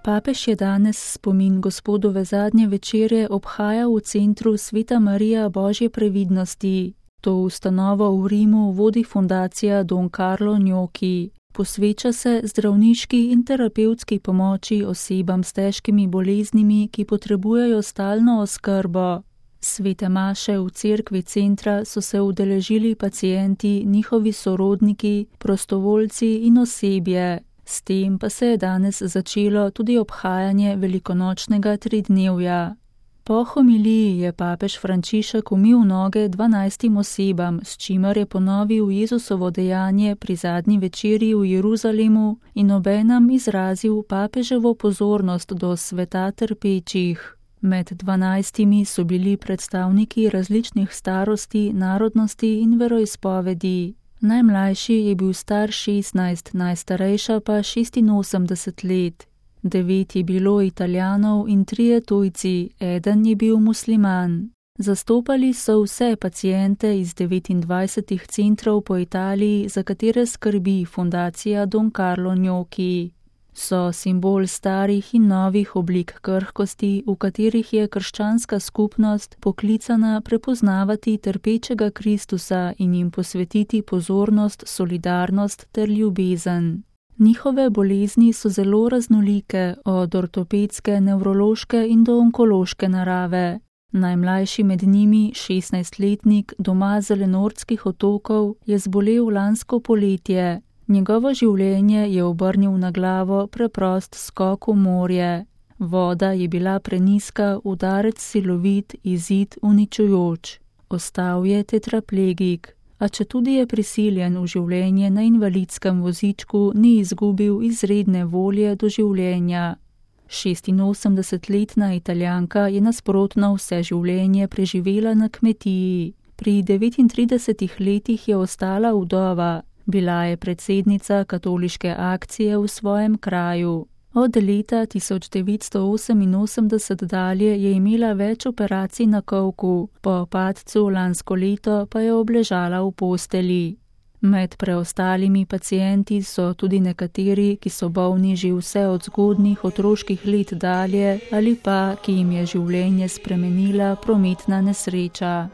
Papež je danes spomin Gospodove zadnje večere obhajal v centru Sveta Marija Božje previdnosti. To ustanovo v Rimu vodi fundacija Don Carlo Gnocchi. Posveča se zdravniški in terapevtski pomoči osebam s težkimi boleznimi, ki potrebujejo stalno oskrbo. Svete maše v cerkvi centra so se udeležili pacienti, njihovi sorodniki, prostovoljci in osebje. S tem pa se je danes začelo tudi obhajanje velikonočnega tridnevja. Po homiliji je papež Frančišek umil noge 12 osebam, s čimer je ponovil Jezusovo dejanje pri zadnji večeri v Jeruzalemu in obenem izrazil papeževo pozornost do sveta trpečih. Med 12 so bili predstavniki različnih starosti, narodnosti in veroizpovedi. Najmlajši je bil star 16, najstarejša pa 86 let. 9 je bilo Italijanov in 3 tujci, eden je bil musliman. Zastopali so vse paciente iz 29 centrov po Italiji, za katere skrbi fundacija Don Carlo Gnocchi. So simbol starih in novih oblik krhkosti, v katerih je krščanska skupnost poklicana prepoznavati trpečega Kristusa in jim posvetiti pozornost, solidarnost ter ljubezen. Njihove bolezni so zelo raznolike, od ortopedske, nevrološke in do onkološke narave. Najmlajši med njimi, 16-letnik, doma z Zelenortskih otokov, je zbolel lansko poletje. Njegovo življenje je obrnil na glavo preprost skok v morje. Voda je bila prenizka, udarec silovit, izid uničujoč. Ostal je tetraplegik, a četudi je prisiljen v življenje na invalidskem vozičku, ni izgubil izredne volje do življenja. 86-letna Italijanka je nasprotno vse življenje preživela na kmetiji. Pri 39 letih je ostala vdova. Bila je predsednica katoliške akcije v svojem kraju. Od leta 1988 dalje je imela več operacij na kolku, po padcu lansko leto pa je obležala v posteli. Med preostalimi pacienti so tudi nekateri, ki so bolni že vse od zgodnjih otroških let dalje ali pa, ki jim je življenje spremenila prometna nesreča.